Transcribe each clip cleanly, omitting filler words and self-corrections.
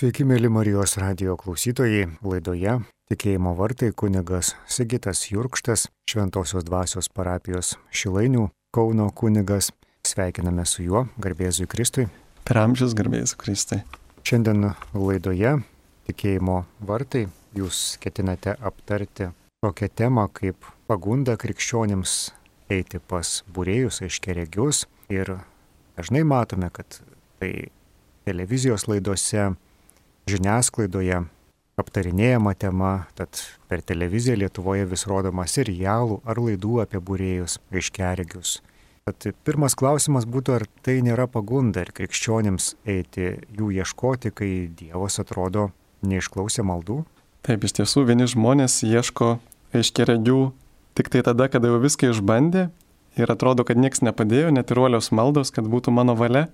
Sveiki, mėly Marijos radijo klausytojai. Laidoje Tikėjimo vartai kunigas Sigitas Jurkštas, Šventosios dvasios parapijos Šilainių Kauno kunigas. Sveikiname su juo, garbėzui Kristui. Per amžius garbėzui Kristui. Šiandien laidoje Tikėjimo vartai jūs ketinate aptarti tokią temą kaip pagunda krikščionims eiti pas būrėjus, aiškiaregius. Ir dažnai matome, kad tai televizijos laidose, žiniasklaidoje aptarinėjama tema, tad per televiziją Lietuvoje vis rodoma serialų ar laidų apie būrėjus, aiškiaregius. Tad pirmas klausimas būtų, ar tai nėra pagunda ir krikščionims eiti jų ieškoti, kai Dievas atrodo neišklausė maldų? Taip, iš tiesų vieni žmonės ieško aiškiaregių tik tai tada, kada jau viską išbandė ir atrodo, kad nieks nepadėjo, net ir uolios maldos, kad būtų mano valia.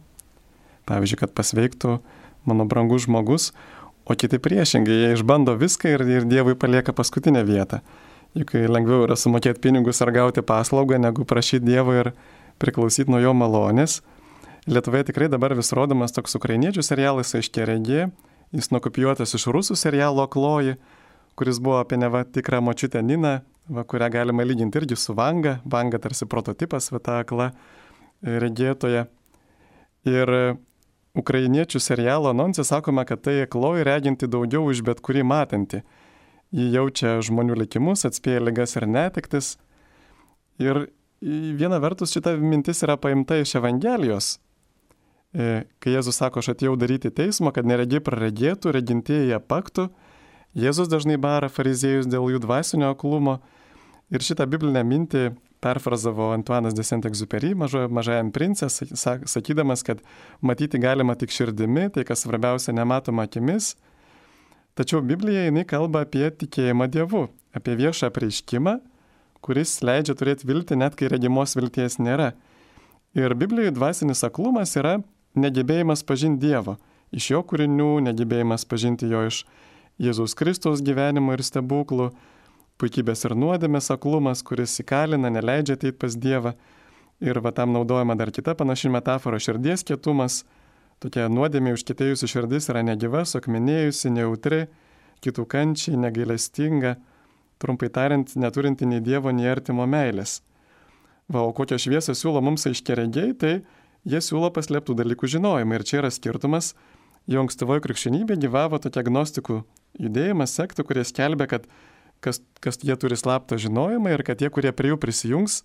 Pavyzdžiui, kad pasveiktų mano brangus žmogus, o kiti priešingai, jie išbando viską ir Dievui palieka paskutinę vietą. Juk lengviau yra sumokėti pinigus ar gauti paslaugą, negu prašyti Dievo ir priklausyti nuo jo malonės. Lietuvoje tikrai dabar vis rodomas toks ukrainiečių serialas Aiškiaregė, jis nukopijuotas iš rusų serialo Akloji, kuris buvo apie neva tikrą močiutę Niną, kurią galima lyginti irgi su Vanga. Vanga tarsi prototipas, ta akla regėtoja. Ir ukrainiečių serialo anonse sakoma, kad tai akloji reginti daugiau už bet kurį matantį. Ji jaučia žmonių likimus, atspėja ligas ir netektis. Ir viena vertus šita mintis yra paimta iš Evangelijos. Kai Jėzus sako, aš atėjau daryti teismo, kad neregiai praregėtų, regintieji apaktų, Jėzus dažnai bara fariziejus dėl jų dvasinio aklumo. Ir šitą biblinę mintį perfrazavo Antuanas de Saint-Exupéry Mažajam prince, sakydamas, kad matyti galima tik širdimi, tai kas svarbiausia nematoma akimis. Tačiau Biblija jinai kalba apie tikėjimą Dievu, apie viešą apreiškimą, kuris leidžia turėti viltį net kai regimos vilties nėra. Ir Biblijoje dvasinis aklumas yra negebėjimas pažinti Dievo, iš jo kūrinių, negebėjimas pažinti jo iš Jėzaus Kristaus gyvenimo ir stebuklų, puikybės ir nuodėmės aklumas, kuris įkalina, neleidžia ateiti pas Dievą. Ir tam naudojama dar kita panaši metafora, širdies kietumas. Tokia nuodėmė užkietėjusi širdis yra negyva, suakmenėjusi, nejautri, kitų kančiai, negailestinga, trumpai tariant, neturinti nei Dievo, nei artimo meilės. O kokią šviesą siūlo mums aiškiaregiai, tai jie siūlo paslėptų dalykų žinojimą. Ir čia yra skirtumas. Jau ankstyvoje krikščionybėje gyvavo tokia agnostikų judėjimas, sektų, kurie skelbė, kad kas jie turi slaptą žinojimą ir kad tie, kurie prie jų prisijungs,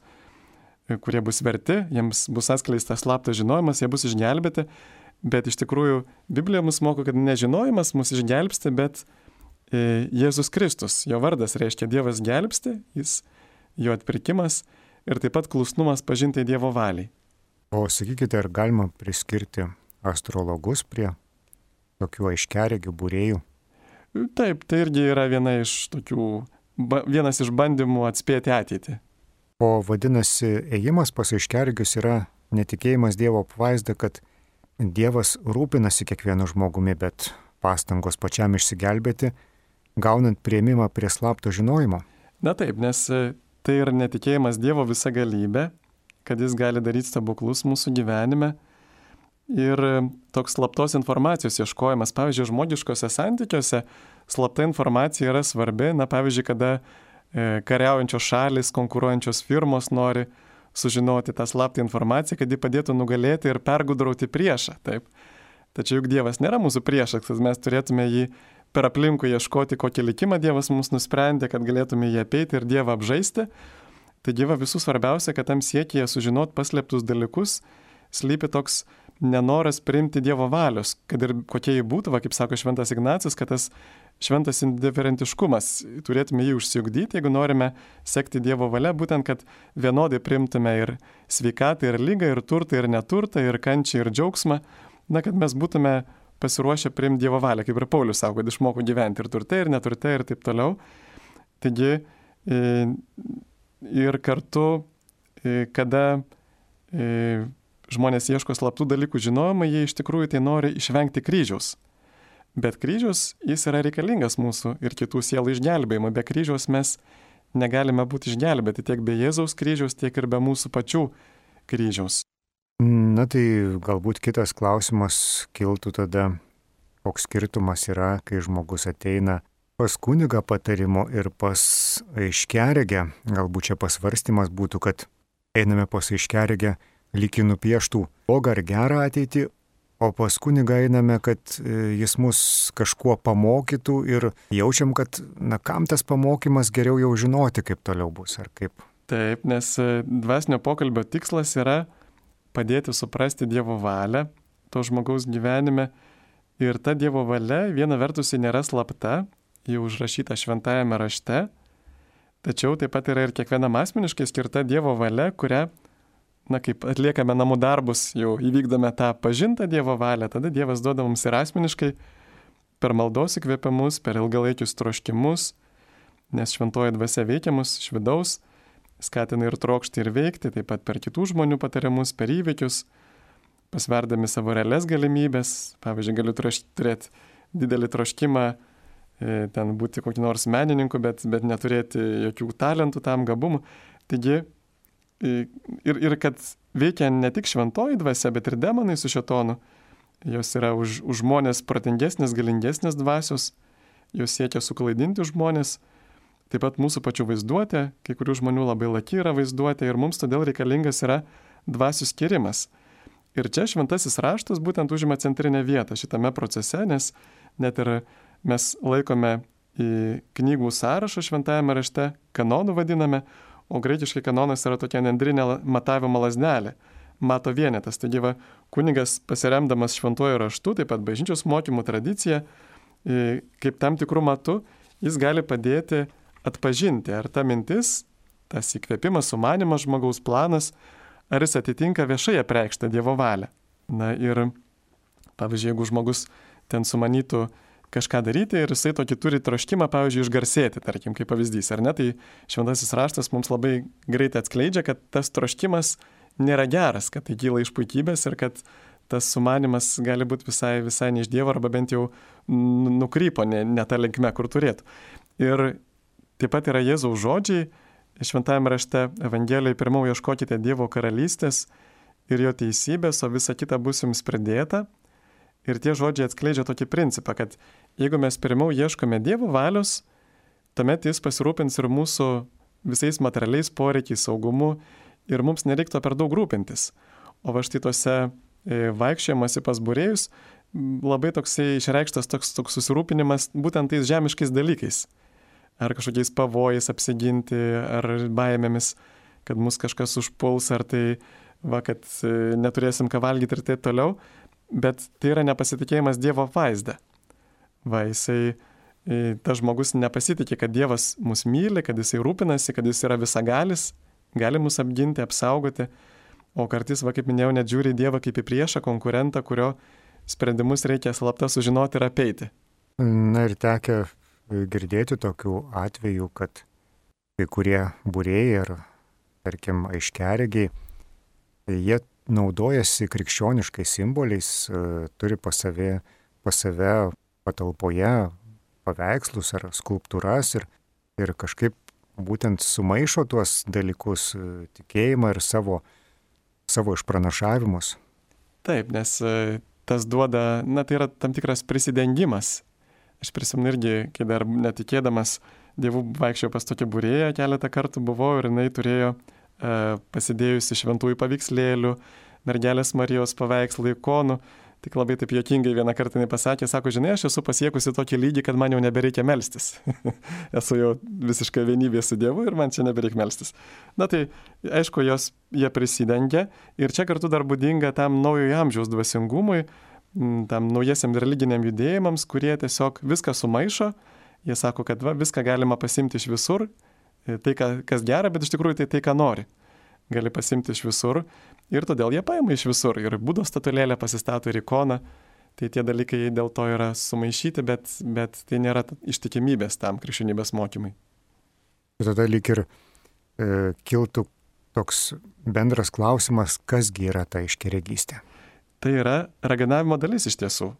kurie bus verti, jiems bus atskleistas slaptas žinojimas, jie bus išgelbėti. Bet iš tikrųjų Biblija mus moko, kad nežinojimas mus išgelbsti, bet Jėzus Kristus. Jo vardas reiškia Dievas gelbsti, jo atpirkimas ir taip pat klusnumas pažinti Dievo valiai. O sakykite, ar galima priskirti astrologus prie tokių aiškiaregių būrėjų? Taip, tai irgi yra vienas iš bandymų atspėti ateitį. O vadinasi, ėjimas pas aiškiaregius yra netikėjimas Dievo apvaizda, kad Dievas rūpinasi kiekvienu žmogumi, bet pastangos pačiam išsigelbėti, gaunant priėmimą prie slapto žinojimo. Na taip, nes tai yra netikėjimas Dievo visa galybė, kad jis gali daryti stebuklus mūsų gyvenime. Ir toks slaptos informacijos ieškojimas, pavyzdžiui, žmogiškose santykiuose, slapta informacija yra svarbi. Pavyzdžiui, kada kariaujančios šalis, konkuruojančios firmos nori sužinoti tą slaptą informaciją, kad ji padėtų nugalėti ir pergudrauti priešą. Taip. Tačiau juk Dievas nėra mūsų priešas, kad mes turėtume jį per aplinkų ieškoti, kokį likimą Dievas mums nusprendė, kad galėtume jį apeiti ir Dievą apžaisti. Taigi visų svarbiausia, kad tam siekyje sužinot paslėptus dalykus, slypi toks nenoras priimti Dievo valios, kad ir kokie jį būtų, kaip sako Šventas Ignacas, kad tas šventas indiferentiškumas, turėtume jį užsiugdyti, jeigu norime sekti Dievo valia, būtent, kad vienodai priimtume ir sveikatą, ir lygą, ir turtą, ir neturtą, ir kančią, ir džiaugsmą, kad mes būtume pasiruošę priimti Dievo valią, kaip ir Paulius sako, kad išmoko gyventi ir turte, ir neturte, ir taip toliau. Taigi, ir kartu, kada žmonės ieško slaptų dalykų žinojimą, jie iš tikrųjų tai nori išvengti kryžiaus. Bet kryžius, jis yra reikalingas mūsų ir kitų sielų išgelbėjimui. Be kryžiaus mes negalime būti išgelbėti tiek be Jėzaus kryžiaus, tiek ir be mūsų pačių kryžiaus. Tai galbūt kitas klausimas kiltų tada, koks skirtumas yra, kai žmogus ateina pas kunigą patarimo ir pas aiškiaregę. Galbūt čia pasvarstymas būtų, kad einame pas aiškiaregę lyg į nupieštų blogą ar gerą ateitį, o pas kunigą einame, kad jis mus kažkuo pamokytų ir jaučiam, kad kam tas pamokymas, geriau jau žinoti, kaip toliau bus ar kaip. Taip, nes dvasinio pokalbio tikslas yra padėti suprasti Dievo valią to žmogaus gyvenime. Ir ta Dievo valia, viena vertus, ji nėra slapta, ji užrašyta šventajame rašte, tačiau taip pat yra ir kiekvienam asmeniškai skirta Dievo valia, kurią, kaip atliekame namų darbus, jau įvykdome tą pažintą Dievo valią, tada Dievas duoda mums ir asmeniškai per maldos įkvėpimus, per ilgalaikius troškimus, nes šventoji dvasia veikia mus iš vidaus, skatina ir trokšti ir veikti, taip pat per kitų žmonių patarimus, per įvykius, pasverdami savo realias galimybės. Pavyzdžiui, galiu turėti didelį troškimą ten būti kokį nors menininku, bet neturėti jokių talentų tam, gabumų. Taigi, ir kad veikia ne tik šventoji dvasia, bet ir demonai su šėtonu. Jos yra už žmonės protingesnės, galingesnės dvasios, jos siekia suklaidinti žmonės. Taip pat mūsų pačių vaizduotė, kai kurių žmonių labai laki yra vaizduotė ir mums todėl reikalingas yra dvasių skirimas. Ir čia šventasis raštas būtent užima centrinę vietą šitame procese, nes net ir mes laikome į knygų sąrašą šventajame rašte, kanonų vadiname, o graikiškai kanonas yra tokia nendrinė matavimo lazdelė, mato vienetas. Taigi kunigas pasiremdamas šventuoju raštu, taip pat bažnyčios mokymų tradicija, kaip tam tikrų matu, jis gali padėti atpažinti, ar ta mintis, tas įkvėpimas, sumanimas, žmogaus planas, ar jis atitinka viešai apreikštą Dievo valią. Ir pavyzdžiui, jeigu žmogus ten sumanytų kažką daryti ir jisai tokį turi troškimą, pavyzdžiui, išgarsėti, tarkim, kaip pavyzdys, ar ne, tai šventasis raštas mums labai greitai atskleidžia, kad tas troškimas nėra geras, kad tai kyla iš puikybės ir kad tas sumanimas gali būti visai ne iš Dievo arba bent jau nukrypo ne tą linkme, kur turėtų. Ir taip pat yra Jėzaus žodžiai šventajame rašte Evangelijoje: pirmiau ieškokite Dievo karalystės ir jo teisybės, o visa kita bus jums pridėta. Ir tie žodžiai atskleidžia tokį principą, kad jeigu mes pirmiau ieškome Dievo valios, tuomet jis pasirūpins ir mūsų visais materialiais poreikiais, saugumu ir mums nereiktų per daug rūpintis. O va štai tose vaikščiojimuose pas būrėjus labai toksai išreikštas toks susirūpinimas būtent tais žemiškais dalykais. Ar kažkokiais pavojais apsiginti, ar baimėmis, kad mus kažkas užpuls, ar tai, kad neturėsim ką valgyti ir taip toliau. Bet tai yra nepasitikėjimas Dievo vaizdą. Tas žmogus nepasitikė, kad Dievas mus myli, kad jisai rūpinasi, kad jis yra visagalis, gali mus apginti, apsaugoti. O kartais, kaip minėjau, net žiūri į Dievą kaip į priešą, konkurentą, kurio sprendimus reikia slapta sužinoti ir apeiti. Na ir tekę girdėti tokių atvejų, kad kai kurie būrėjai ar, tarkim, aiškiaregiai, jie naudojasi krikščioniškais simboliais, turi pas save patalpoje paveikslus ar skulptūras ir kažkaip būtent sumaišo tuos dalykus, tikėjimą ir savo išpranašavimus. Taip, nes tas duoda, tai yra tam tikras prisidengimas. Aš prisimenu irgi, kai dar netikėdamas Dievu vaikščiau pas tokią būrėją, keletą kartų buvau ir jinai turėjo pasidėjusi šventųjų paveikslėlių, mergelės Marijos paveikslų, ikonų. Tik labai taip juokingai vieną kartą jinai pasakė, sako, žinai, aš esu pasiekusi tokį lygį, kad man jau nebereikia melstis. Esu jau visiškai vienybė su Dievu ir man čia nebereikia melstis. Tai aišku, jie prisidengia ir čia kartu dar būdinga tam naujojo amžiaus dvasingumui, tam naujasiam religiniam judėjimams, kurie tiesiog viską sumaišo. Jie sako, kad viską galima pasimti iš visur, tai, kas gera, bet iš tikrųjų tai, ką nori. Gali pasimti iš visur ir todėl jie paima iš visur. Ir Budos statulėlę pasistato ir ikoną. Tai tie dalykai dėl to yra sumaišyti, bet tai nėra ištikimybės tam krikščionybės mokymai. Ir tada lyg ir kiltų toks bendras klausimas, kasgi yra ta aiškiaregystė. Tai yra raganavimo dalis iš tiesų.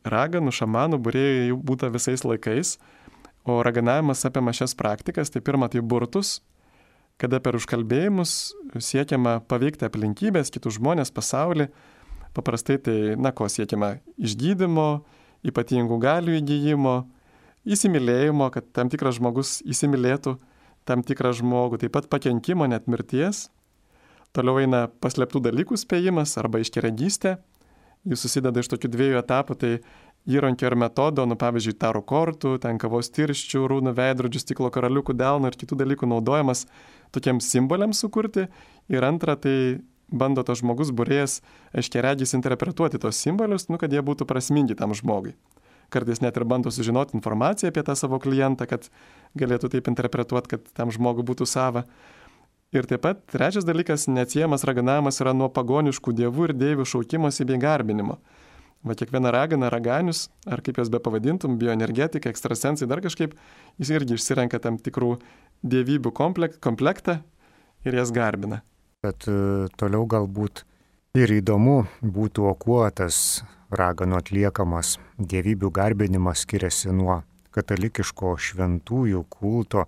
Raganų, šamanų, būrėjų jau būta visais laikais, o raganavimas apima šias praktikas. Tai pirma, tai burtus, kada per užkalbėjimus siekiama paveikti aplinkybės, kitus žmonės, pasaulį. Paprastai tai, ko siekiama? Išgydymo, ypatingų galių įgyjimo, įsimylėjimo, kad tam tikras žmogus įsimylėtų tam tikrą žmogų, taip pat pakenkimo, net mirties. Toliau eina paslėptų dalykų spėjimas arba aiškiaregystė. Jis susideda iš tokių dviejų etapų, tai įrankio ir metodo, pavyzdžiui, tarų kortų, ten kavos tirščių, rūnų veidrodžių, stiklo karaliukų delno ir kitų dalykų naudojamas tokiems simboliams sukurti. Ir antra, tai bando tas žmogus būrėjas aiškiaregys interpretuoti tos simbolius, kad jie būtų prasmingi tam žmogui. Kartais net ir bando sužinoti informaciją apie tą savo klientą, kad galėtų taip interpretuoti, kad tam žmogui būtų sava. Ir taip pat trečias dalykas, neatsiejamas raganavimas yra nuo pagoniškų dievų ir deivių šaukimosi bei garbinimo. Va kiekviena ragana, raganius, ar kaip jas be pavadintum, bioenergetika, ekstrasensai, dar kažkaip, jis irgi išsirenka tam tikrų dievybių komplektą ir jas garbina. Bet toliau galbūt ir įdomu būtų, o kuo tas raganų atliekamas dievybių garbinimas skiriasi nuo katalikiško šventųjų kulto,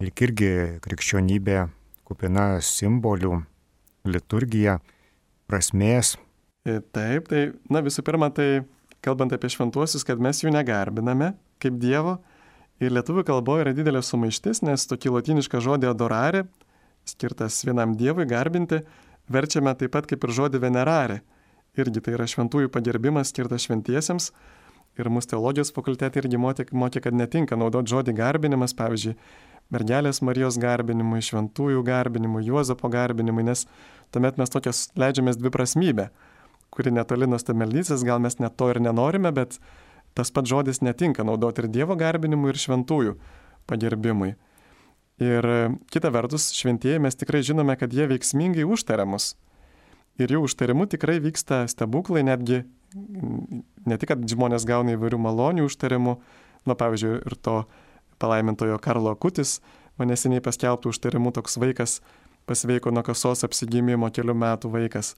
lyg irgi krikščionybė kupina simbolių, liturgija, prasmės. Taip, tai, visų pirma, tai kalbant apie šventuosius, kad mes jų negarbiname kaip Dievo. Ir lietuvių kalboje yra didelė sumaištis, nes tokį lotynišką žodį adorare, skirtas vienam Dievui garbinti, verčiame taip pat kaip ir žodį venerare. Irgi tai yra šventųjų pagerbimas skirtas šventiesiems. Ir mūsų teologijos fakultete irgi mokė, kad netinka naudoti žodį garbinimas, pavyzdžiui, mergelės Marijos garbinimui, šventųjų garbinimui, Juozapo garbinimui, nes tuomet mes tokias leidžiamės dviprasmybę, kuri netoli nuo stabmeldystės, gal mes net to ir nenorime, bet tas pats žodis netinka naudoti ir Dievo garbinimui, ir šventųjų pagerbimui. Ir kita vertus, šventieji mes tikrai žinome, kad jie veiksmingai užtaria mus. Ir jų užtarimu tikrai vyksta stebuklai, netgi ne tik, kad žmonės gauna įvairių malonių užtarimų, pavyzdžiui, ir to palaimintojo Karlo Akutis, neseniai paskelbtų užtarimų toks vaikas pasveiko nuo kasos apsigimimo kelių metų vaikas.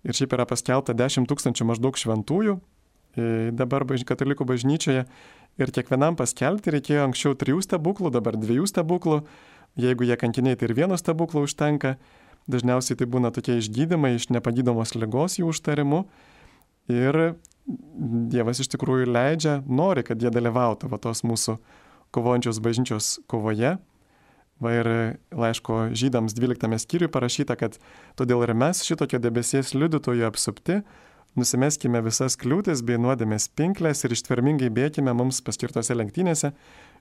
Ir šiaip yra paskelbta 10 000 maždaug šventųjų dabar katalikų bažnyčioje. Ir kiekvienam paskelbti reikėjo anksčiau 3 stebuklų, dabar 2 stebuklų. Jeigu jie kankiniai, tai ir 1 stebuklo užtenka. Dažniausiai tai būna tokie išgydymai iš nepagydomos ligos jų užtarimu. Ir Dievas iš tikrųjų leidžia, nori, kad jie dalyvautų tos mūsų kovojančios bažnyčios kovoje. Ir laiško žydams 12 skyriui parašyta, kad todėl ir mes šitokio debesies liudytojų apsupti, nusimeskime visas kliūtis bei nuodėmės pinklės ir ištvermingai bėkime mums paskirtose lenktynėse,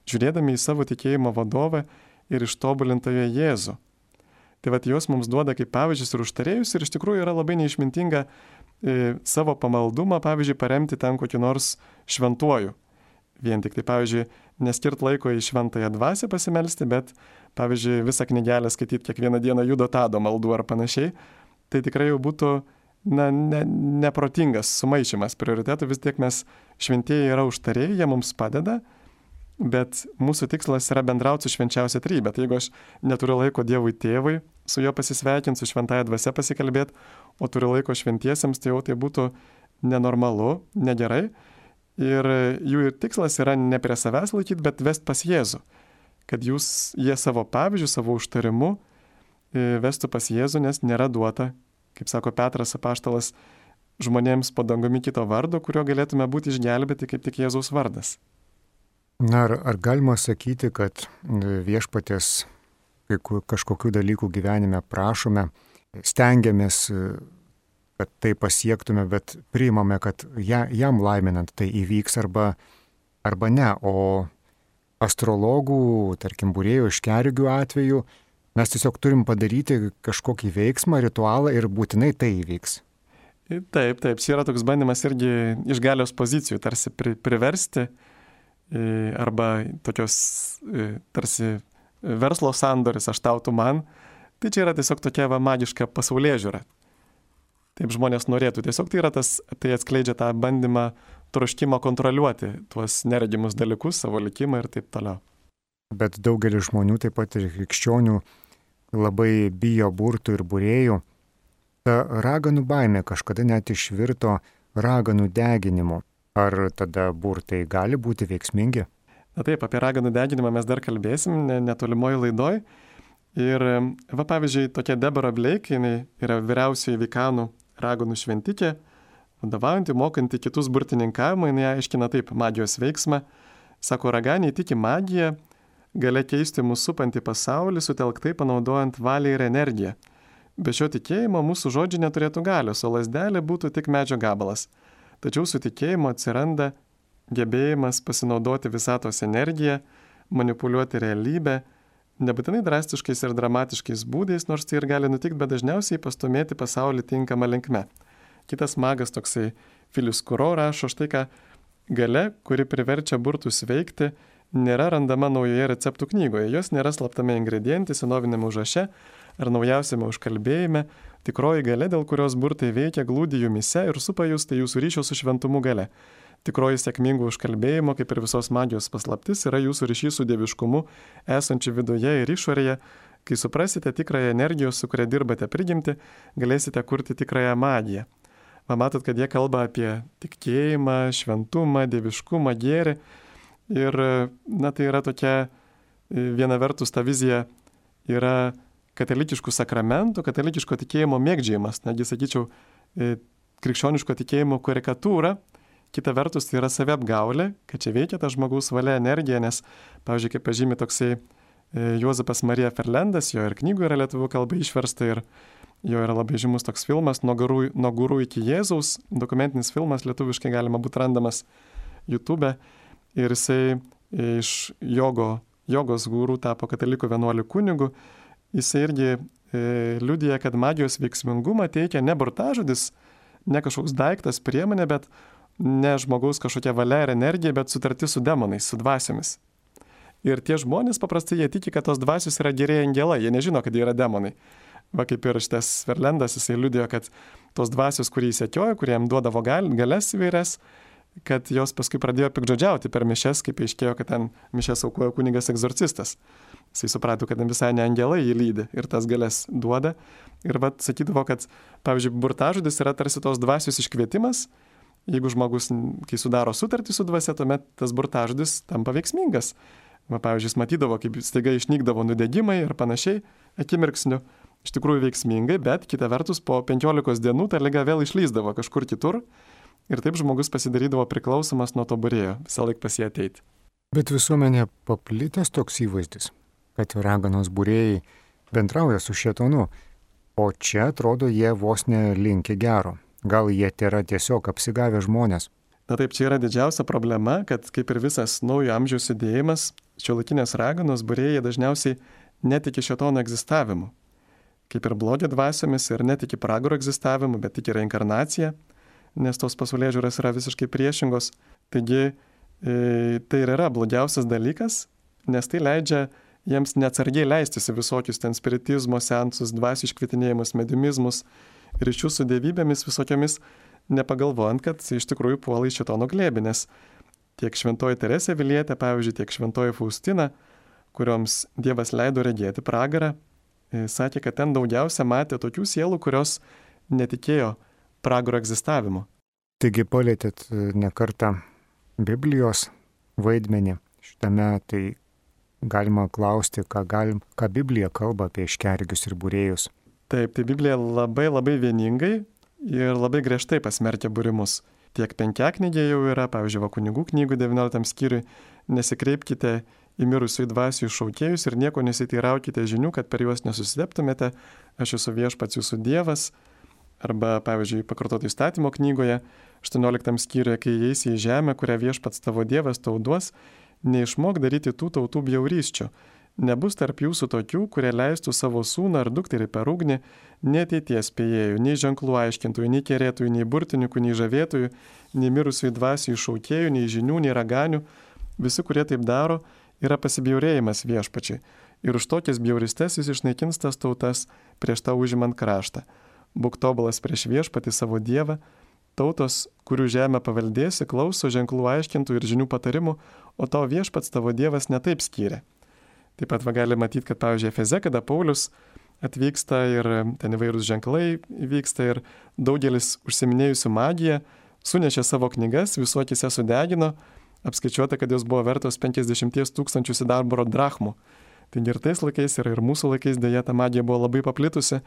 žiūrėdami į savo tikėjimo vadovą ir ištobulintąją Jėzų. Tai juos mums duoda kaip pavyzdžius ir užtarėjus ir iš tikrųjų yra labai neišmintinga savo pamaldumą, pavyzdžiui, paremti ten kokį nors šventuoju. Vien tik tai, pavyzdžiui, neskirt laiko į šventąją dvasią pasimelsti, bet, pavyzdžiui, visą knygelę skaityti kiekvieną dieną Judo Tado maldų ar panašiai, tai tikrai jau būtų neprotingas sumaišymas prioritetų. Vis tiek mes šventieji yra užtarėjai, jie mums padeda, bet mūsų tikslas yra bendrauti su švenčiausia trejybe. Tai jeigu aš neturiu laiko Dievui tėvui, su juo pasisveikinti, su šventąja dvasia pasikalbėti, o turiu laiko šventiesiems, tai jau tai būtų nenormalu, negerai. Ir jų tikslas yra ne prie savęs laikyti, bet vesti pas Jėzų. Kad jie savo pavyzdžių, savo užtarimu vestų pas Jėzų, nes nėra duota, kaip sako Petras apaštalas, žmonėms po dangumi kito vardo, kurio galėtume būti išgelbėti kaip tik Jėzaus vardas. Ar galima sakyti, kad viešpaties kažkokių dalykų gyvenime prašome, stengiamės, kad tai pasiektume, bet priimame, kad jam laiminant tai įvyks arba ne, o astrologų, tarkim, būrėjų iškergių atveju mes tiesiog turim padaryti kažkokį veiksmą, ritualą ir būtinai tai įvyks. Taip, čia yra toks bandymas irgi iš galios pozicijų, tarsi priversti arba tokios tarsi verslo sandoris, aš tau, tu man. Tai čia yra tiesiog tokia magiška pasaulėžiūra. Taip žmonės norėtų. Tiesiog tai atskleidžia tą bandymą troškimą kontroliuoti tuos neregimus dalykus, savo likimą ir taip toliau. Bet daugelis žmonių, taip pat ir krikščionių, labai bijo burtų ir būrėjų. Ta raganų baimė kažkada net išvirto raganų deginimu. Ar tada burtai gali būti veiksmingi? Na taip, apie raganų deginimą mes dar kalbėsim netolimoje laidoj. Ir pavyzdžiui, tokia Deborah Blake, jinai yra vyriausioji Vikanų raganų šventikė, Vadovaujantį, mokantį kitus burtininkavimą, jinai aiškina taip magijos veiksmą. Sako, raganiai tiki magiją, galia keisti mūsų supantį pasaulį, sutelktai panaudojant valią ir energiją. Be šio tikėjimo mūsų žodžiai neturėtų galios, o lazdelė būtų tik medžio gabalas. Tačiau su tikėjimu atsiranda gebėjimas pasinaudoti visatos energiją, manipuliuoti realybę, nebūtinai drastiškais ir dramatiškais būdais, nors tai ir gali nutikti, bet dažniausiai pastumėti pasaulį tinkamą linkme. Kitas magas toksai Filius Kuro rašo štai ką, galia, kuri priverčia burtus veikti, nėra randama naujoje receptų knygoje, jos nėra slaptame ingrediente, senovinėme užraše ar naujausiame užkalbėjime, tikroji galia, dėl kurios burtai veikia, glūdi jumise ir supa jūs, tai jūsų ryšio su šventumu galia. Tikroji sėkmingų užkalbėjimo, kaip ir visos magijos paslaptis, yra jūsų ryšys su dieviškumu, esančiu viduje ir išorėje. Kai suprasite tikrąją energijos, su kuria dirbate prigimti, galėsite kurti tikrąją magiją. Matot, kad jie kalba apie tikėjimą, šventumą, dieviškumą, gėrį. Ir, tai yra tokia, viena vertus ta vizija yra katalikiškų sakramentų, katalikiško tikėjimo mėgdžiojimas, netgi sakyčiau, krikščioniško tikėjimo karikatūra. Kita vertus tai yra saviapgaulė, kad čia veikia ta žmogaus valia energija, nes, pavyzdžiui, kaip pažymi toksai Juozapas Marija Ferlendas, jo ir knygų yra lietuvių kalba išversta ir jo yra labai žymus toks filmas Nuo gurų iki Jėzaus, dokumentinis filmas, lietuviškai galima būti randamas YouTube. Ir jisai iš jogos gurų tapo katalikų vienuolių kunigu. Jisai irgi liudija, kad magijos veiksmingumą teikia ne burtažodis, ne kažkoks daiktas, priemonė, bet ne žmogaus kažkokia valia ir energija, bet sutartis su demonais, su dvasiomis. Ir tie žmonės paprastai jie tiki, kad tos dvasios yra geriai angelai, jie nežino, kad jie yra demonai. Va kaip ir šitas Ferlendas, jisai liudijo, kad tos dvasios, kurį jis sekiojo, kurie jam duodavo galias įvairias, kad jos paskui pradėjo pikdžodžiauti per mišes, kaip aiškėjo, kad ten mišes aukojo kunigas egzorcistas. Jisai suprato, kad visai ne angelai jį lydi ir tas galias duoda. Ir sakydavo, kad, pavyzdžiui, burtažodis yra tarsi tos dvasios iškvietimas. Jeigu žmogus, kai sudaro sutartį su dvasia, tuomet tas burtažodis tampa veiksmingas. Pavyzdžiui, jis matydavo, kaip staiga išnykdavo nudegimai ir panašiai, akimirksniu. Iš tikrųjų veiksmingai, bet kita vertus po 15 dienų ta liga vėl išlįsdavo kažkur kitur. Ir taip žmogus pasidarydavo priklausomas nuo to būrėjo, visą laiką pas jį ateiti. Bet visuomenė paplitęs toks įvaizdis, kad raganos būrėjai bendrauja su šėtonu, o čia atrodo jie vos nelinki gero. Gal jie tėra tiesiog apsigavę žmonės? Na taip, čia yra didžiausia problema, kad kaip ir visas naujo amžiaus judėjimas, šiuolaikinės raganos būrėjai dažniausiai netiki šėtono egzistavimu. Kaip ir blogio dvasiomis ir netiki pragaro egzistavimu, bet tiki reinkarnaciją, nes tos pasaulėžiūros yra visiškai priešingos. Taigi tai ir yra blogiausias dalykas, nes tai leidžia jiems neatsargiai leistis į visokius ten spiritizmo seansus, dvasių iškvietinėjimus, mediumizmus, ryšių su dievybėmis visokiamis, nepagalvojant, kad iš tikrųjų puola į šėtono glėbį, nes tiek šventoji Teresė Avilietė, pavyzdžiui, tiek šventoji Faustina, kurioms Dievas leido regėti pragarą, sakė, kad ten daugiausia matė tokių sielų, kurios netikėjo pragaro egzistavimu. Taigi palėtėt ne kartą Biblijos vaidmenį šitame, tai galima klausti, ką Biblija kalba apie iškergius ir būrėjus. Taip, tai Biblija labai vieningai ir labai griežtai pasmerkia būrimus. Tiek Penkiaknygė jau yra, pavyzdžiui, Kunigų knygų 19 skyriui, nesikreipkite į mirusių dvasių šaukėjus ir nieko nesiteiraukite žinių, kad per juos nesusideptumėte, aš esu viešpats jūsų Dievas. Arba, pavyzdžiui, Pakartoto įstatymo knygoje 18 skyriuje, kai įeisi į žemę, kurią viešpats tavo Dievas tau duos, neišmok daryti tų tautų bjaurysčių. Nebus tarp jūsų tokių, kurie leistų savo sūnų ar dukterį per ugnį, nei ateities spėjėjų, nei ženklų aiškintojų, nei kerėtojų, nei burtininkų, nei žavėtojų, nei mirusių dvasių šaukėjų, nei žinių, nei raganių. Visi, kurie taip daro, yra pasibjaurėjimas viešpačiai. Ir už tokias bjauristes jis išnaikins tas tautas prieš tą užimant kraštą. Būk tobulas prieš viešpatį savo Dievą, tautos, kurių žemę paveldėsi, klauso ženklų aiškintų ir žinių patarimų, o tavo viešpats tavo Dievas netaip skyrė. Taip pat gali matyti, kad, pavyzdžiui, Efeze, kada Paulius atvyksta ir ten įvairūs ženklai vyksta ir daugelis užsiminėjusių magiją sunešė savo knygas, visuokise sudegino, apskaičiuota, kad jos buvo vertos 50 000 sidabro drachmų. Taigi ir tais laikais ir mūsų laikais dėja ta magija buvo labai paplitusi.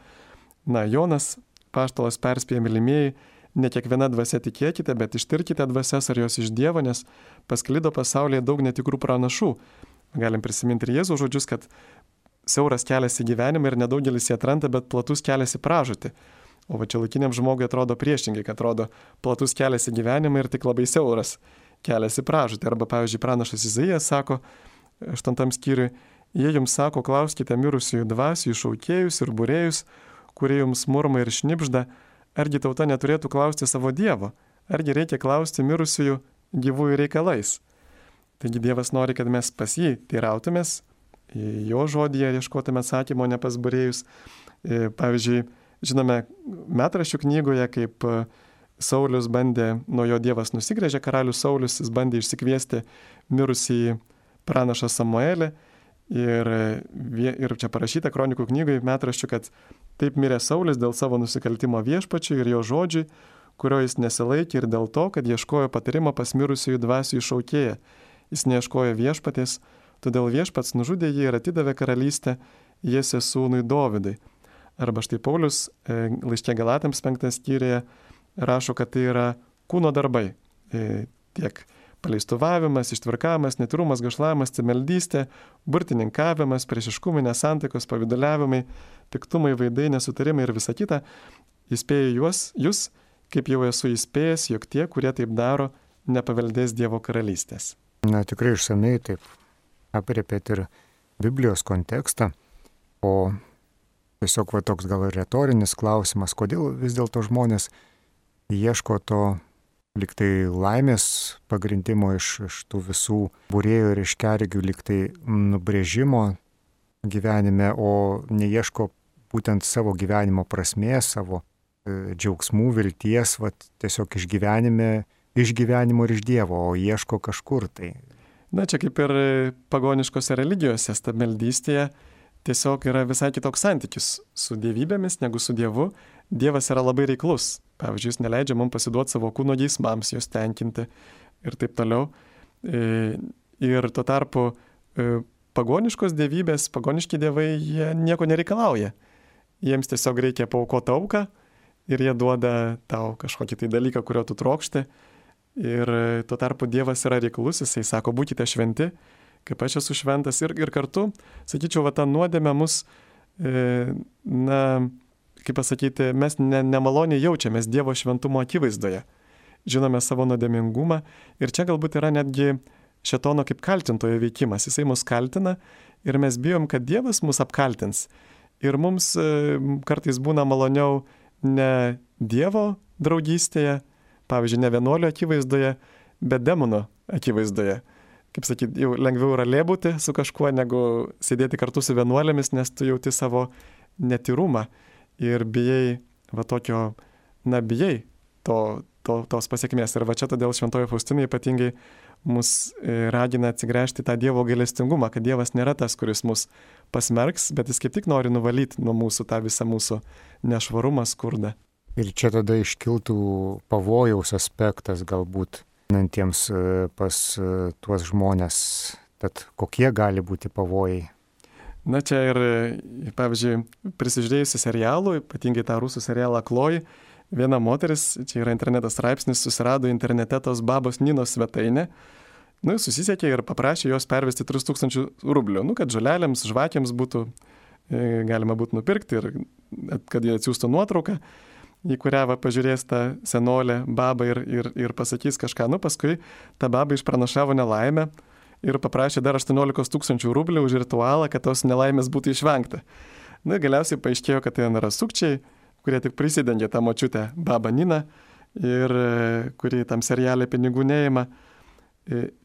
Jonas, paštalas perspėja mylimieji, ne kiekviena dvasia tikėkite, bet ištirkite dvasias, ar jos iš Dievo, nes pasklido pasaulyje daug netikrų pranašų. Galim prisiminti ir Jėzaus žodžius, kad siauras kelias į gyvenimą ir nedaugelis jį atranda, bet platus kelias į pražūtį. O va čia laikiniam žmogui atrodo priešingai, kad atrodo platus kelias į gyvenimą ir tik labai siauras kelias į pražūtį. Arba, pavyzdžiui, pranašas Izaijas sako 8 skyriui, jie jums sako, klauskite mirusiųjų dvasių, šaukėjus ir būrėjus, kurie jums murma ir šnipžda, argi tauta neturėtų klausti savo Dievo, argi reikia klausti mirusiųjų gyvųjų reikalais. Taigi Dievas nori, kad mes pas jį teirautumės, jo žodyje ieškotume atsakymo, ne pas būrėjus. Pavyzdžiui, žinome metraščių knygoje, kaip Saulius bandė, nuo jo Dievas nusigręžė, karalius Saulius, jis bandė išsikviesti mirusį pranašą Samuelį. Ir čia parašyta kronikų knygoje metraščių, kad taip mirė Saulis dėl savo nusikaltimo viešpačiui ir jo žodžiui, kurio jis nesilaikė ir dėl to, kad ieškojo patarimo pas mirusiųjų dvasių išaukėję. Jis neieškojo viešpaties, todėl viešpats nužudė jį ir atidavė karalystę Jesės sūnui Dovydui. Arba štai Paulius laiške Galatams 5 skyriuje rašo, kad tai yra kūno darbai. Tiek paleistuvavimas, ištvirkavimas, netirumas, gašlavimas, cimeldystė, burtininkavimas, priešiškumai, nesantaikos, pavidaliavimai, piktumai, vaidai, nesutarimai ir visa kita. Įspėju jūs, kaip jau esu įspėjęs, jog tie, kurie taip daro, nepaveldės Dievo karalystės. Na, tikrai išsamei taip aprėpėt ir Biblijos kontekstą, o tiesiog va toks gal retorinis klausimas, kodėl vis dėlto žmonės ieško to liktai laimės pagrindimo iš tų visų būrėjų ir iš kergių liktai nubrėžimo gyvenime, o neieško būtent savo gyvenimo prasmės, savo džiaugsmų, vilties, va tiesiog išgyvenimo ir iš Dievo, o ieško kažkur tai. Na, čia kaip ir pagoniškose religijose, stabmeldystėje tiesiog yra visai kitoks santykis su dievybėmis negu su Dievu. Dievas yra labai reiklus. Pavyzdžiui, jis neleidžia mums pasiduoti savo kūno geismams, jos tenkinti ir taip toliau. Ir tuo tarpu pagoniškos dievybės, pagoniški dievai, jie nieko nereikalauja. Jiems tiesiog reikia paaukoti auką ir jie duoda tau kažkokį tai dalyką, kurio tu trokšti. Ir tuo tarpu Dievas yra reiklus, jisai sako, būkite šventi, kaip aš esu šventas. Ir kartu, sakyčiau, va ta nuodėmė mus, kaip pasakyti, mes nemaloniai jaučiamės Dievo šventumo akivaizdoje. Žinome savo nuodėmingumą ir čia galbūt yra netgi šėtono kaip kaltintojo veikimas. Jisai mus kaltina ir mes bijom, kad Dievas mus apkaltins. Ir mums kartais būna maloniau ne Dievo draugystėje, pavyzdžiui, ne vienuolio akivaizdoje, bet demono akivaizdoje. Kaip sakyti, jau lengviau yra lėbūti su kažkuo, negu sėdėti kartu su vienuolėmis, nes tu jauti savo netyrumą ir bijai, bijai tos pasiekmės. Ir va čia todėl šventoji Faustina ypatingai mus ragina atsigręžti tą Dievo gailestingumą, kad Dievas nėra tas, kuris mus pasmerks, bet jis kaip tik nori nuvalyti nuo mūsų tą visą mūsų nešvarumą, skurdą. Ir čia tada iškiltų pavojaus aspektas galbūt einantiems pas tuos žmonės. Tad kokie gali būti pavojai? Na čia ir, pavyzdžiui, prisižiūrėjusi serialų, ypatingai tą rusų serialą Kloji, viena moteris, čia yra internetas straipsnis, susirado internete tos babos Ninos svetainę. Susisiekė ir paprašė jos pervesti 3000 rublių, kad žolelėms, žvakėms būtų galima būtų nupirkti ir kad jie atsiųstų nuotrauką, į kurią pažiūrės tą senolę babą ir pasakys kažką. Paskui ta baba išpranašavo nelaimę ir paprašė dar 18 000 rublių už ritualą, kad tos nelaimės būtų išvengta. Galiausiai paaiškėjo, kad tai yra sukčiai, kurie tik prisidengė tą močiutę babą Niną ir kuri tam serialė pinigų neima.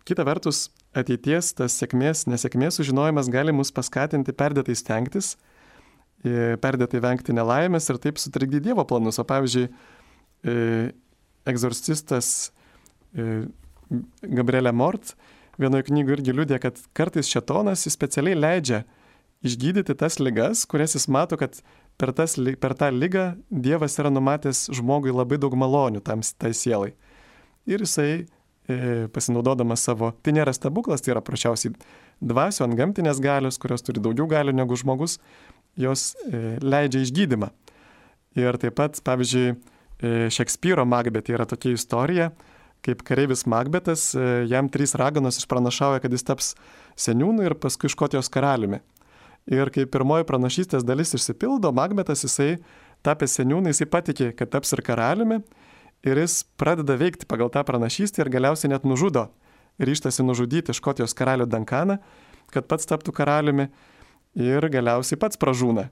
Kita vertus, ateities tas sėkmės, nesėkmės sužinojimas gali mus paskatinti perdėtai stengtis, perdėtai vengti nelaimės ir taip sutrikdyti Dievo planus. O pavyzdžiui, egzorcistas Gabrielė Mort vienoje knygoje irgi liudija, kad kartais šėtonas jis specialiai leidžia išgydyti tas ligas, kurias jis mato, kad per tą ligą Dievas yra numatęs žmogui labai daug malonių tai sielai. Ir jisai pasinaudodamas savo, tai nėra stebuklas, tai yra prašiausiai dvasio antgamtinės galios, kurios turi daugiau galių negu žmogus, jos leidžia išgydymą. Ir taip pat, pavyzdžiui, Šekspyro Makbete yra tokia istorija, kaip kareivis Makbetas, jam 3 raganos išpranašauja, kad jis taps seniūnu ir paskui Škotijos karaliumi. Ir kai pirmoji pranašystės dalis išsipildo, Makbetas jisai tapęs seniūnu, jisai patikė, kad taps ir karaliumi ir jis pradeda veikti pagal tą pranašystę ir galiausiai net nužudo. Ryžtasi nužudyti Škotijos karalių Duncaną, kad pats taptų karaliumi ir galiausiai pats pražūna.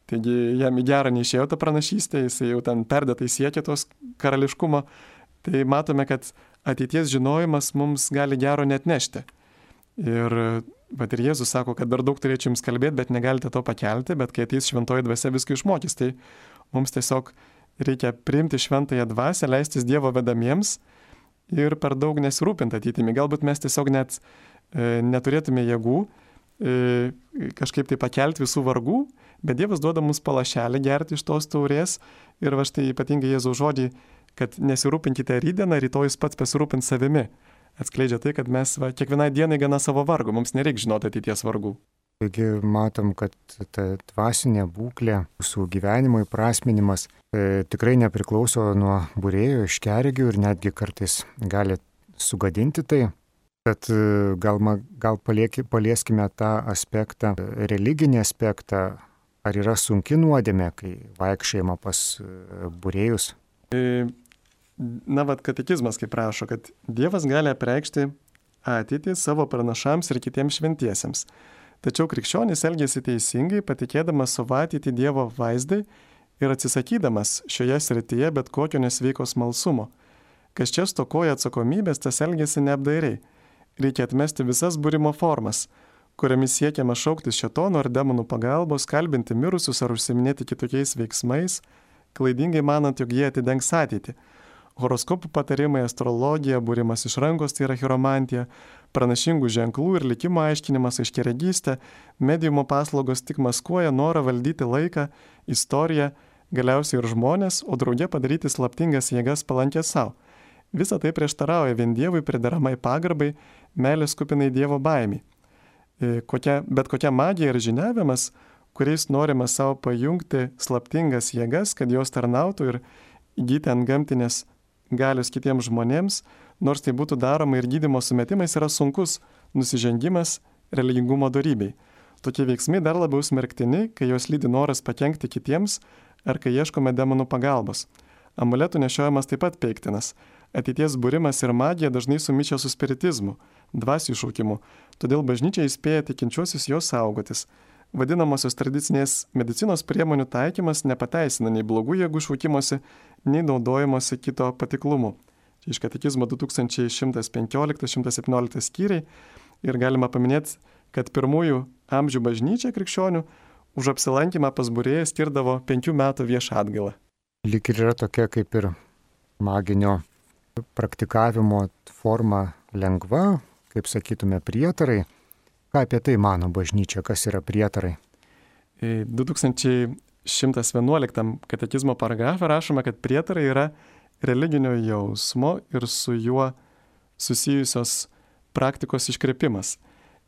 Taigi jam į gerą neišėjo ta pranašystė, jisai jau ten perdėtai siekia tos karališkumo. Tai matome, kad ateities žinojimas mums gali gero net nešti. Ir Jėzus sako, kad dar daug turėčiau jums kalbėti, bet negalite to pakelti, bet kai ateis šventoji dvasia, viską išmokys. Tai mums tiesiog reikia priimti šventąją dvasią, leistis Dievo vedamiems ir per daug nesirūpinti ateitimi. Galbūt mes tiesiog net neturėtume jėgų kažkaip tai pakelti visų vargų, bet Dievas duoda mums palašelį gerti iš tos taurės ir va štai ypatingai Jėzaus žodžiai, kad nesirūpinkite rytdieną, rytojus pats pasirūpins savimi. Atskleidžia tai, kad mes kiekvienai dienai gana savo vargų, mums nereikia žinoti ateities vargų. Taigi matom, kad ta dvasinė būklė, mūsų gyvenimo įprasminimas tikrai nepriklauso nuo būrėjo, iškeregių ir netgi kartais gali sugadinti tai. Tad gal palieskime tą aspektą, religinį aspektą, ar yra sunki nuodėmė, kai vaikščiojama pas būrėjus? Katekizmas kaip rašo, kad Dievas gali apreikšti ateitį savo pranašams ir kitiems šventiesiems. Tačiau krikščionis elgėsi teisingai, patikėdamas savo ateitį Dievo vaizdai ir atsisakydamas šioje srityje bet kokio nesveiko smalsumo. Kas čia stokoja atsakomybės, tas elgėsi neapdairiai. Reikia atmesti visas būrimo formas, kuriamis siekiama šauktis šėtono ar demonų pagalbos, kalbinti mirusius ar užsiminėti kitokiais veiksmais, klaidingai manant, jog jie atidengs ateitį. Horoskopų patarimai, astrologija, būrimas iš rankos, tai yra chiromantija, pranašingų ženklų ir likimo aiškinimas, aiškiaregystė, mediumo paslaugos tik maskuoja norą valdyti laiką, istoriją, galiausiai ir žmonės, o drauge padaryti slaptingas jėgas palankės savo. Visa tai prieštarauja vien Dievui prideramai pagarbai, meilės kupinai Dievo baimiai. Bet kokia magija ir žiniavimas, kuriais norima savo pajungti slaptingas jėgas, kad jos tarnautų ir įgyti antgamtinės galios kitiems žmonėms, nors tai būtų daroma ir gydymo sumetimais, yra sunkus nusižengimas religingumo dorybei. Tokie veiksmai dar labiau smerktini, kai jos lydi noras pakenkti kitiems ar kai ieškome demonų pagalbos. Amuletų nešiojimas taip pat peiktinas. Ateities būrimas ir magija dažnai sumišia su spiritizmu, dvasių šaukimu, todėl bažnyčia įspėja tikinčiuosius jos saugotis. Vadinamosios tradicinės medicinos priemonių taikymas nepateisina nei blogų jėgų šaukimuose, nei naudojimosi kito patiklumu. Čia iš katekizmo 2115-117 skyriai ir galima paminėti, kad pirmųjų amžių bažnyčia krikščionių už apsilankymą pas būrėją skirdavo 5 metų viešą atgailą. Lyg ir yra tokia kaip ir maginio praktikavimo forma lengva, kaip sakytume, prietarai. Ką apie tai mano bažnyčia, kas yra prietarai? 2111 katekizmo paragrafe rašoma, kad prietarai yra religinio jausmo ir su juo susijusios praktikos iškrepimas.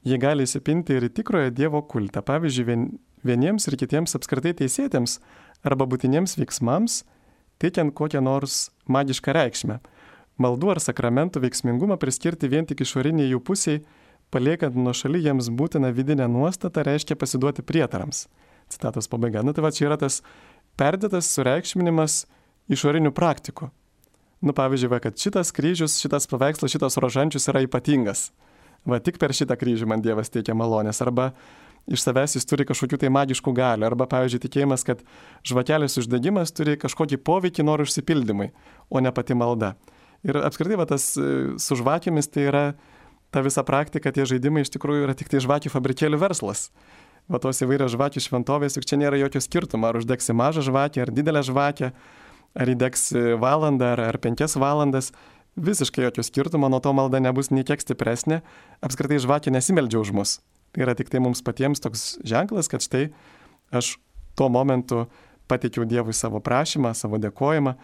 Jie gali įsipinti ir į tikrojo Dievo kultą, pavyzdžiui, vieniems ir kitiems apskritai teisėtėms arba būtiniems veiksmams, teikiant kokią nors magišką reikšmę. Maldų ar sakramentų veiksmingumą priskirti vien tik išoriniai jų pusiai, paliekant nuo šaly jiems būtiną vidinę nuostatą, reiškia pasiduoti prietarams. Citatos pabaiga. Tai va čia yra tas perdėtas sureikšminimas išorinių praktikų. Pavyzdžiui, kad šitas kryžius, šitas paveikslas, šitas rožančius yra ypatingas. Tik per šitą kryžių man Dievas teikia malonės. Arba iš savęs jis turi kažkokių tai magiškų galių. Arba, pavyzdžiui, tikėjimas, kad žvakelės uždegimas turi kažkokį poveikį norų išsipildymui, o ne pati malda. Ir apskritai tas su žvakėmis tai yra ta visa praktika, tie žaidimai iš tikrųjų yra tik tai žvakių fabrikėlių verslas. Tos įvairios žvakių šventovės, juk čia nėra jokio skirtumo, ar uždegsi mažą žvakę, ar didelę žvakę, ar įdegsi valandą, ar 5 valandas. Visiškai jokio skirtumo, nuo to malda nebus nei kiek stipresnė. Apskritai žvakė nesimeldžia už mus. Tai yra tik tai mums patiems toks ženklas, kad štai aš tuo momentu pateikiau Dievui savo prašymą, savo dėkojimą.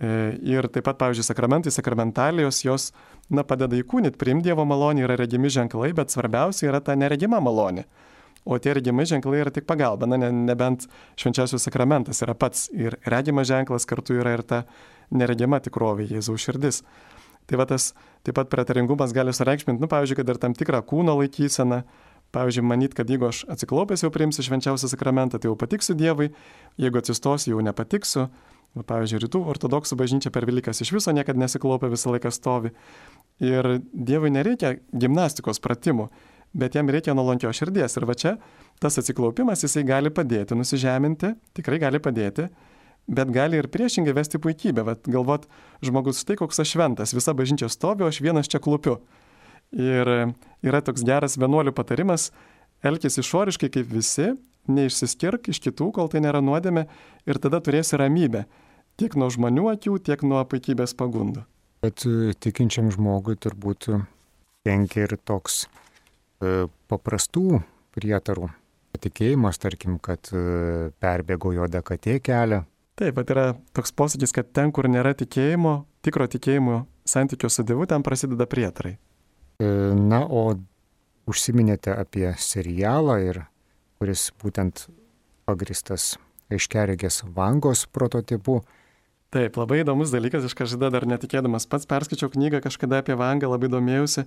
Ir taip pat, pavyzdžiui, sakramentai, sakramentalijos, jos padeda įkūnyti, priimti Dievo malonę, yra regimi ženklai, bet svarbiausia yra ta neregima malonė. o tie regimi ženklai yra tik pagalba. Na, nebent švenčiausias sakramentas yra pats ir regimas ženklas, kartu yra ir ta neregima tikrovė, Jėzaus širdis. Tai va tas taip pat prietaringumas gali sureikšminti, pavyzdžiui, kad ir tam tikrą kūno laikyseną, pavyzdžiui, manyt, kad jeigu aš atsiklaupęs jau priimsiu švenčiausią sakramentą, tai jau patiksiu Dievui, jeigu atsistosiu, jau nepatiksiu. Pavyzdžiui, rytų ortodoksų bažnyčia per Velykas iš viso niekada nesiklaupia, visą laiką stovi. Ir Dievui nereikia gimnastikos pratimų, bet jam reikia nuolankios širdies. Ir va čia tas atsiklaupimas, jisai gali padėti nusižeminti, tikrai gali padėti, bet gali ir priešingai vesti puikybę. Vat galvot, žmogus, štai koks aš šventas, visa bažnyčia stovi, o aš vienas čia klupiu. Ir yra toks geras vienuolių patarimas, elkis išoriškai kaip visi, neišsiskirk iš kitų, kol tai nėra nuodėmė, ir tada turėsi ramybę, tiek nuo žmonių akių, tiek nuo puikybės pagundų. Bet tikinčiam žmogui turbūt kenkia ir toks paprastų prietarų patikėjimas, tarkim, kad perbėgo juoda katė kelią. Taip, bet yra toks posakis, kad ten, kur nėra tikėjimo, tikro tikėjimo santykio su Dievu, ten prasideda prietarai. Na, o užsiminėte apie serialą, kuris būtent pagristas aiškiaregės Vangos prototipu. Taip, labai įdomus dalykas, aš kažkada dar netikėdamas pats perskaičiau knygą kažkada apie Vangą, labai domėjausi.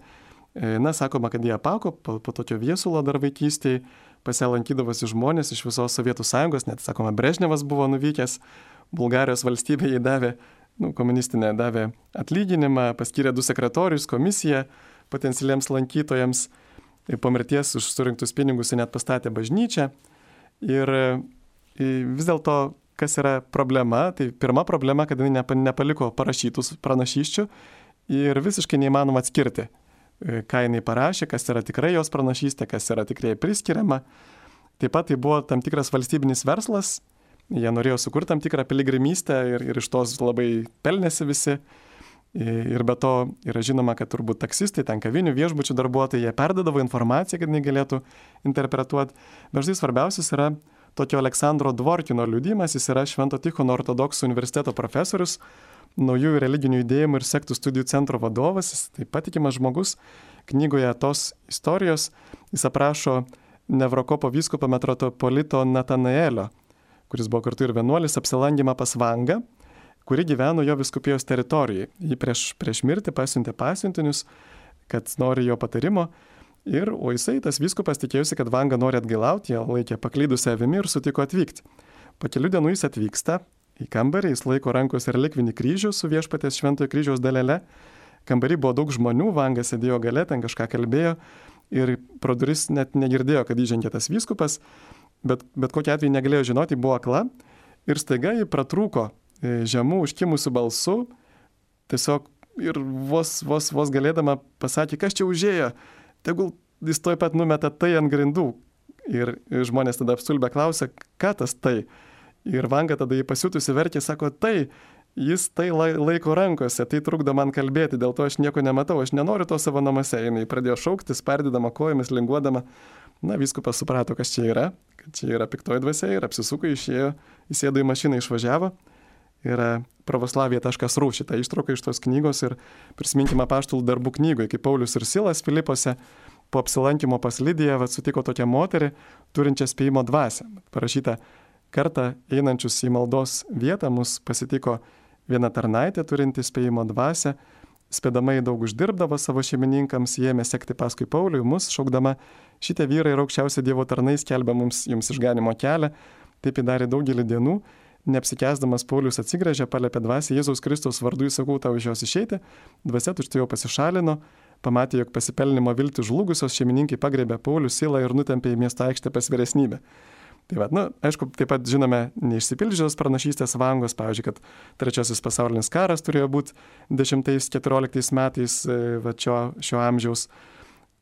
Na, sakoma, kad jie apako po tokio viesulo dar vaikystėje, pas ją lankydavosi žmonės iš visos Sovietų Sąjungos, net, sakoma, Brežnevas buvo nuvykęs, Bulgarijos valstybė jai davė, komunistinė davė atlyginimą, paskyrė 2 sekretorius, komisiją potencialiems lankytojams, po mirties už surinktus pinigus net pastatė bažnyčią. Ir vis dėlto, kas yra problema, tai pirma problema, kad jinai nepaliko parašytus pranašysčių ir visiškai neįmanoma atskirti, ką jinai parašė, kas yra tikrai jos pranašystė, kas yra tikrai priskiriama. Taip pat tai buvo tam tikras valstybinis verslas, jie norėjo sukurti tam tikrą piligrimystę ir iš tos labai pelnėsi visi. Ir be to yra žinoma, kad turbūt taksistai, ten kavinių, viešbučių darbuotojai, jie perdodavo informaciją, kad jinai galėtų interpretuoti. Bet štai svarbiausias yra tokio Aleksandro Dvorkino liudijimas, jis yra Švento Tichono ortodoksų universiteto profesorius, naujųjų religinių judėjimų ir sektų studijų centro vadovas, jis taip patikimas žmogus. Knygoje tos istorijos jis aprašo Nevrokopo vyskupo metropolito Natanaelio, kuris buvo kartu ir vienuolis, apsilankymą pas Vangą, kuri gyveno jo vyskupijos teritorijoje. Jį prieš mirtį pasiuntė pasiuntinius, kad nori jo patarimo. O jisai, tas vyskupas, tikėjusi, kad Vanga nori atgailauti, jie laikė paklydusią avimi ir sutiko atvykti. Po kelių dienų jis atvyksta į kambarį, jis laiko rankos relikvinį kryžių su viešpaties Šventojo kryžiaus dalele. Kambarį buvo daug žmonių, Vanga sėdėjo gale, ten kažką kalbėjo ir pro duris net negirdėjo, kad įžengė tas vyskupas, bet kokiu atveju negalėjo žinoti, buvo akla ir staiga jį pratrūko žemų užkimusių balsų, tiesiog ir vos galėdama pasakė, kas čia užėjo, tegul jis toj pat numeta tai ant grindų. Ir žmonės tada apstulbę klausia, ką tas tai. Ir Vanga tada jį pasiutusi verkė, sako, tai, jis tai laiko rankose, tai trukdo man kalbėti, dėl to aš nieko nematau, aš nenoriu to savo namuose. Jis pradėjo šaukti, spardydama kojomis, linguodama. Na, vyskupas suprato, kas čia yra, kad čia yra piktoji dvasia ir apsisuko, išėjo, įsėdo į mašiną, išvažiavo. Yra pravoslavija.ru šitą ištrauką iš tos knygos ir prisiminkime apaštalų darbų knygoje, kai Paulius ir Silas Filipose po apsilankimo pas Lidiją sutiko tokią moterį, turinčią spėjimo dvasią. Parašyta, kartą einančius į maldos vietą mus pasitiko viena tarnaitė turinti spėjimo dvasią, spėdama į daug uždirbdavo savo šeimininkams, jie ėmė sekti paskui Paulių, mus šaukdama, šitie vyrai ir aukščiausia Dievo tarnai skelbia jums išganimo kelią, taip įdarė daugelį dienų. Neapsikęsdamas Paulius atsigręžė, paliepė dvasią, Jėzaus Kristaus vardu įsakau tau iš jos išeiti, dvasia tučtuojau pasišalino, pamatė, jog pasipelnimo viltį žlugusios šeimininkai pagriebė Paulių, Silą ir nutempė į miesto aikštę pas vyresnybę. Tai va, aišku, taip pat žinome neišsipildžiusios pranašystės Vangos, pavyzdžiui, kad 3 pasaulinis karas turėjo būti 10-14 metais šio amžiaus.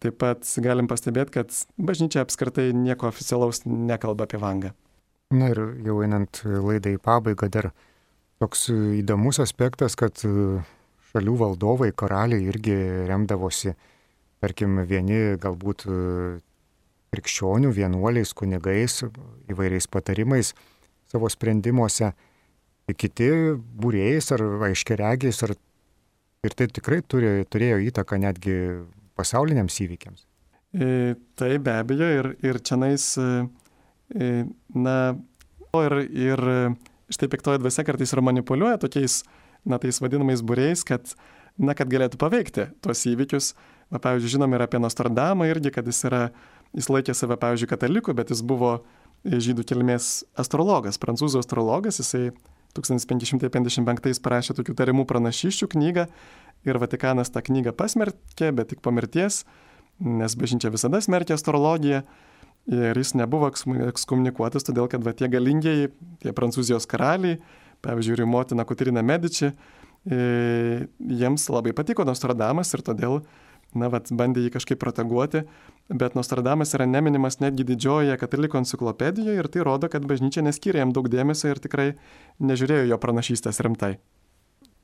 Taip pat galim pastebėti, kad bažnyčia apskritai nieko oficialaus nekalba apie Vangą. Na ir jau einant laidai į pabaigą, dar toks įdomus aspektas, kad šalių valdovai, karaliai irgi remdavosi, tarkim, vieni galbūt krikščionių, vienuoliais, kunigais, įvairiais patarimais savo sprendimuose, kiti būrėjais ar aiškiaregiais, ir tai tikrai turėjo įtaką netgi pasauliniams įvykiams. Tai be abejo ir čionais, na, ir štai piktoji dvasia kartais ir manipuliuoja tokiais, tais vadinamais būriais, kad galėtų paveikti tuos įvykius. Pavyzdžiui, žinom ir apie Nostradamą irgi, kad jis laikė save, pavyzdžiui, kataliku, bet jis buvo žydų kilmės astrologas, prancūzų astrologas. Jisai 1555 parašė tokių tariamų pranašysčių knygą ir Vatikanas tą knygą pasmerkė, bet tik po mirties, nes bažnyčia visada smerkė astrologiją ir jis nebuvo ekskomunikuotas, todėl kad tie galingieji, tie Prancūzijos karaliai, pavyzdžiui, ir motina Kotrina Medici, jiems labai patiko Nostradamas ir todėl bandė jį kažkaip proteguoti, bet Nostradamas yra neminimas netgi didžiojoje katalikų enciklopedijoje ir tai rodo, kad bažnyčia neskyrė jam daug dėmesio ir tikrai nežiūrėjo jo pranašystės rimtai.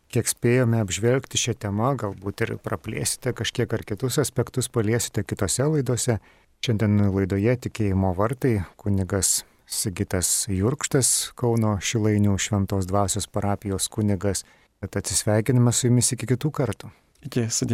Kiek spėjome apžvelgti šią temą, galbūt ir praplėsite kažkiek ar kitus aspektus paliesite kitose laidose. Šiandien laidoje Tikėjimo vartai kunigas Sigitas Jurkštas, Kauno Šilainių Šventos Dvasios parapijos kunigas. Tad atsisveikiname su jumis iki kitų kartų. Iki, sudie.